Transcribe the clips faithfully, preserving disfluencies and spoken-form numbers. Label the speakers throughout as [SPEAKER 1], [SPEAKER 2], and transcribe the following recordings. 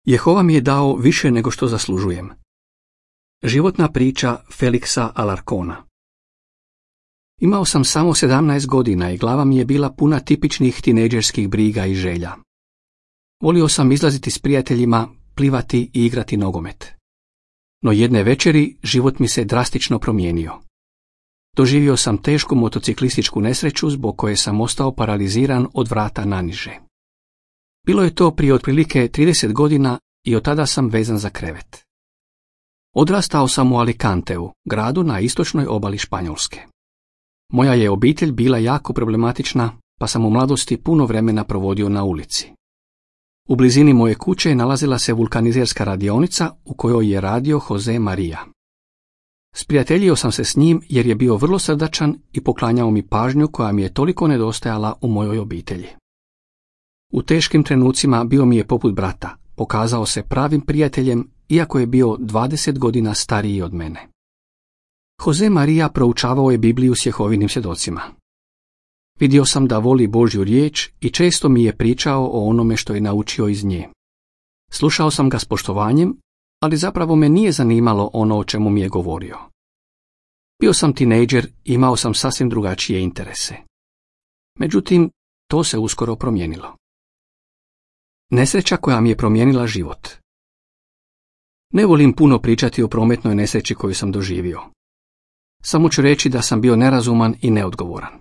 [SPEAKER 1] Jehova mi je dao više nego što zaslužujem. Životna priča Feliksa Alarcona. Imao sam samo sedamnaest godina i glava mi je bila puna tipičnih tinejdžerskih briga i želja. Volio sam izlaziti s prijateljima, plivati i igrati nogomet. No jedne večeri život mi se drastično promijenio. Doživio sam tešku motociklističku nesreću zbog koje sam ostao paraliziran od vrata naniže. Bilo je to prije otprilike trideset godina i od tada sam vezan za krevet. Odrastao sam u Alicanteu, gradu na istočnoj obali Španjolske. Moja je obitelj bila jako problematična, pa sam u mladosti puno vremena provodio na ulici. U blizini moje kuće nalazila se vulkanizerska radionica u kojoj je radio Jose Maria. Sprijateljio sam se s njim jer je bio vrlo srdačan i poklanjao mi pažnju koja mi je toliko nedostajala u mojoj obitelji. U teškim trenucima bio mi je poput brata, pokazao se pravim prijateljem iako je bio dvadeset godina stariji od mene. Jose Maria proučavao je Bibliju s Jehovinim svjedocima. Vidio sam da voli Božju riječ i često mi je pričao o onome što je naučio iz nje. Slušao sam ga s poštovanjem, ali zapravo me nije zanimalo ono o čemu mi je govorio. Bio sam tinejdžer i imao sam sasvim drugačije interese. Međutim, to se uskoro promijenilo. Nesreća koja mi je promijenila život. Ne volim puno pričati o prometnoj nesreći koju sam doživio. Samo ću reći da sam bio nerazuman i neodgovoran.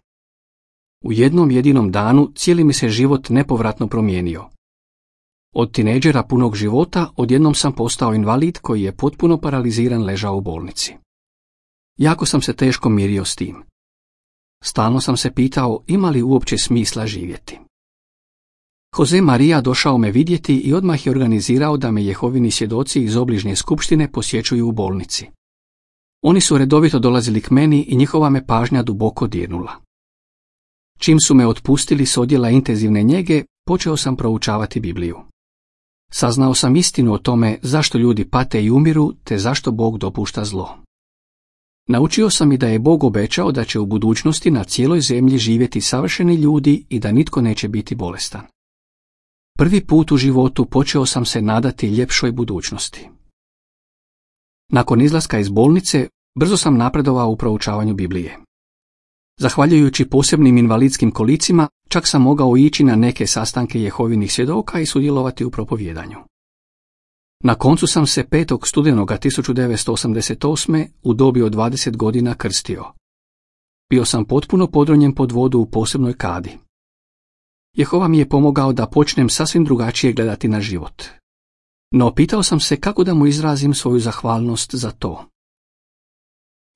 [SPEAKER 1] U jednom jedinom danu cijeli mi se život nepovratno promijenio. Od tinejdžera punog života odjednom sam postao invalid koji je potpuno paraliziran ležao u bolnici. Jako sam se teško mirio s tim. Stalno sam se pitao ima li uopće smisla živjeti. Jose Maria došao me vidjeti i odmah je organizirao da me Jehovini svjedoci iz obližnje skupštine posjećuju u bolnici. Oni su redovito dolazili k meni i njihova me pažnja duboko dirnula. Čim su me otpustili s odjela intenzivne njege, počeo sam proučavati Bibliju. Saznao sam istinu o tome zašto ljudi pate i umiru, te zašto Bog dopušta zlo. Naučio sam i da je Bog obećao da će u budućnosti na cijeloj zemlji živjeti savršeni ljudi i da nitko neće biti bolestan. Prvi put u životu počeo sam se nadati ljepšoj budućnosti. Nakon izlaska iz bolnice, brzo sam napredovao u proučavanju Biblije. Zahvaljujući posebnim invalidskim kolicima, čak sam mogao ići na neke sastanke Jehovinih svjedoka i sudjelovati u propovjedanju. Na koncu sam se petog studenoga tisuću devetsto osamdeset osme u dobi od dvadeset godina krstio. Bio sam potpuno podronjen pod vodu u posebnoj kadi. Jehova mi je pomogao da počnem sasvim drugačije gledati na život. No pitao sam se kako da mu izrazim svoju zahvalnost za to.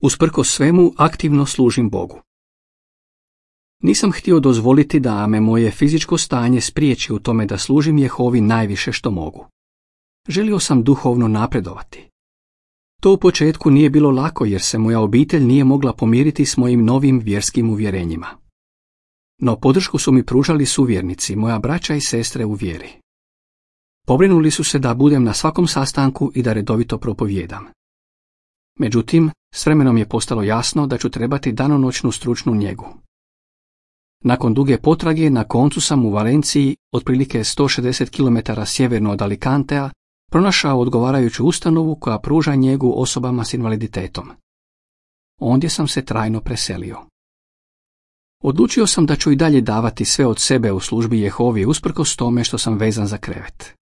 [SPEAKER 1] Usprkos svemu aktivno služim Bogu. Nisam htio dozvoliti da me moje fizičko stanje spriječi u tome da služim Jehovi najviše što mogu. Želio sam duhovno napredovati. To u početku nije bilo lako jer se moja obitelj nije mogla pomiriti s mojim novim vjerskim uvjerenjima. No podršku su mi pružali suvjernici, moja braća i sestre u vjeri. Pobrinuli su se da budem na svakom sastanku i da redovito propovijedam. Međutim, s vremenom je postalo jasno da ću trebati danonoćnu stručnu njegu. Nakon duge potrage, na koncu sam u Valenciji, otprilike sto šezdeset kilometara sjeverno od Alicantea, pronašao odgovarajuću ustanovu koja pruža njegu osobama s invaliditetom. Ondje sam se trajno preselio. Odlučio sam da ću i dalje davati sve od sebe u službi Jehovi usprkos tome što sam vezan za krevet.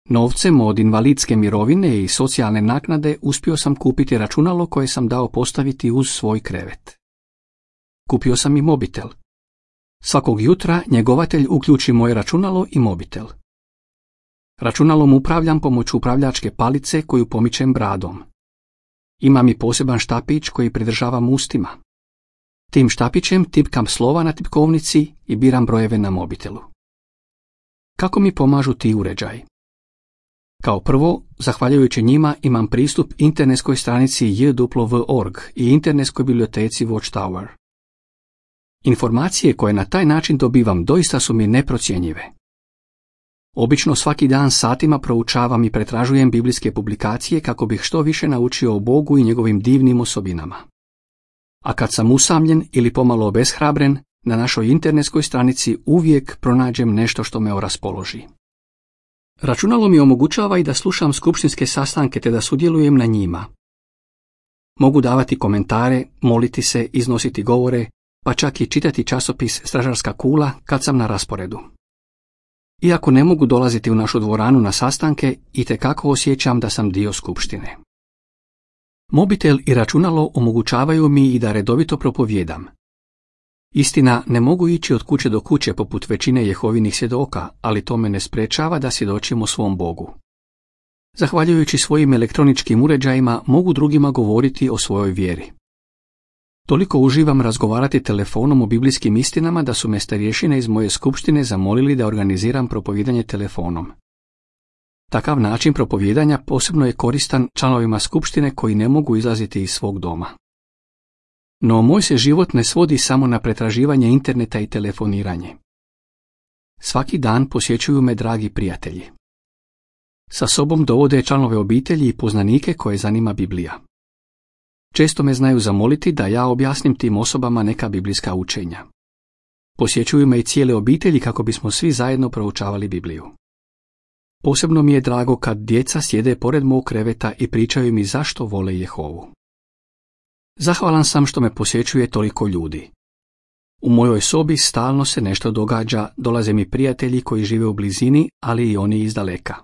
[SPEAKER 1] Novcem od invalidske mirovine i socijalne naknade uspio sam kupiti računalo koje sam dao postaviti uz svoj krevet. Kupio sam i mobitel. Svakog jutra njegovatelj uključi moje računalo i mobitel. Računalom upravljam pomoću upravljačke palice koju pomičem bradom. Imam i poseban štapić koji pridržavam ustima. Tim štapićem tipkam slova na tipkovnici i biram brojeve na mobitelu. Kako mi pomažu ti uređaji? Kao prvo, zahvaljujući njima imam pristup internetskoj stranici j w w w dot org i internetskoj biblioteci Watchtower. Informacije koje na taj način dobivam doista su mi neprocjenjive. Obično svaki dan satima proučavam i pretražujem biblijske publikacije kako bih što više naučio o Bogu i njegovim divnim osobinama. A kad sam usamljen ili pomalo obeshrabren, na našoj internetskoj stranici uvijek pronađem nešto što me oraspoloži. Računalo mi omogućava i da slušam skupštinske sastanke te da sudjelujem na njima. Mogu davati komentare, moliti se, iznositi govore, pa čak i čitati časopis Stražarska kula kad sam na rasporedu. Iako ne mogu dolaziti u našu dvoranu na sastanke, itekako osjećam da sam dio skupštine. Mobitel i računalo omogućavaju mi i da redovito propovijedam. Istina, ne mogu ići od kuće do kuće poput većine Jehovinih svjedoka, ali to me ne sprečava da svjedočim o svom Bogu. Zahvaljujući svojim elektroničkim uređajima mogu drugima govoriti o svojoj vjeri. Toliko uživam razgovarati telefonom o biblijskim istinama da su me starješine iz moje skupštine zamolili da organiziram propovijedanje telefonom. Takav način propovijedanja posebno je koristan članovima skupštine koji ne mogu izlaziti iz svog doma. No moj se život ne svodi samo na pretraživanje interneta i telefoniranje. Svaki dan posjećuju me dragi prijatelji. Sa sobom dovode članove obitelji i poznanike koje zanima Biblija. Često me znaju zamoliti da ja objasnim tim osobama neka biblijska učenja. Posjećuju me i cijele obitelji kako bismo svi zajedno proučavali Bibliju. Posebno mi je drago kad djeca sjede pored mog kreveta i pričaju mi zašto vole Jehovu. Zahvalan sam što me posjećuje toliko ljudi. U mojoj sobi stalno se nešto događa, dolaze mi prijatelji koji žive u blizini, ali i oni iz daleka.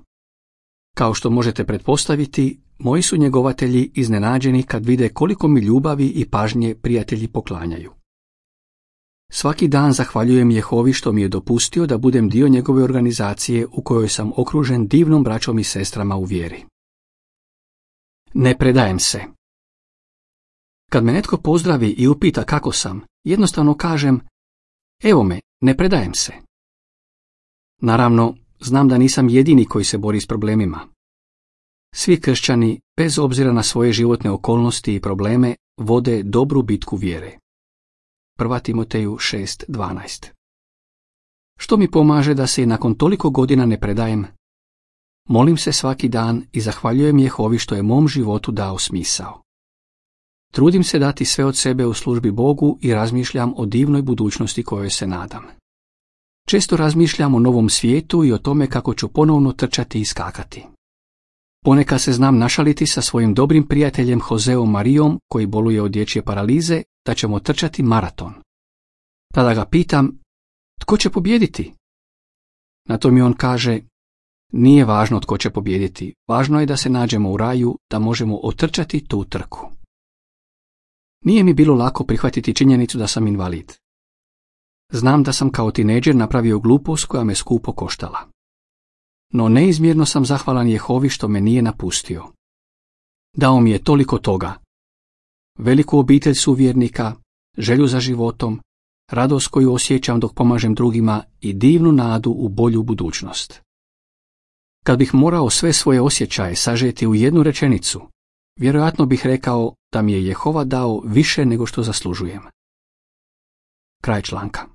[SPEAKER 1] Kao što možete pretpostaviti, moji su njegovatelji iznenađeni kad vide koliko mi ljubavi i pažnje prijatelji poklanjaju. Svaki dan zahvaljujem Jehovi što mi je dopustio da budem dio njegove organizacije u kojoj sam okružen divnom braćom i sestrama u vjeri. Ne predajem se. Kad me netko pozdravi i upita kako sam, jednostavno kažem, evo me, ne predajem se. Naravno, znam da nisam jedini koji se bori s problemima. Svi kršćani, bez obzira na svoje životne okolnosti i probleme, vode dobru bitku vjere. Prva Timoteju šest dvanaest. Što mi pomaže da se i nakon toliko godina ne predajem? Molim se svaki dan i zahvaljujem Jehovi što je mom životu dao smisao. Trudim se dati sve od sebe u službi Bogu i razmišljam o divnoj budućnosti kojoj se nadam. Često razmišljam o novom svijetu i o tome kako ću ponovno trčati i skakati. Ponekad se znam našaliti sa svojim dobrim prijateljem Joseom Marijom, koji boluje od dječje paralize, da ćemo trčati maraton. Tada ga pitam, tko će pobijediti? Na to mi on kaže, nije važno tko će pobijediti, važno je da se nađemo u raju, da možemo otrčati tu trku. Nije mi bilo lako prihvatiti činjenicu da sam invalid. Znam da sam kao tinejdžer napravio glupost koja me skupo koštala. No neizmjerno sam zahvalan Jehovi što me nije napustio. Dao mi je toliko toga. Veliku obitelj suvjernika, želju za životom, radost koju osjećam dok pomažem drugima i divnu nadu u bolju budućnost. Kad bih morao sve svoje osjećaje sažeti u jednu rečenicu, vjerojatno bih rekao da mi je Jehova dao više nego što zaslužujem. Kraj članka.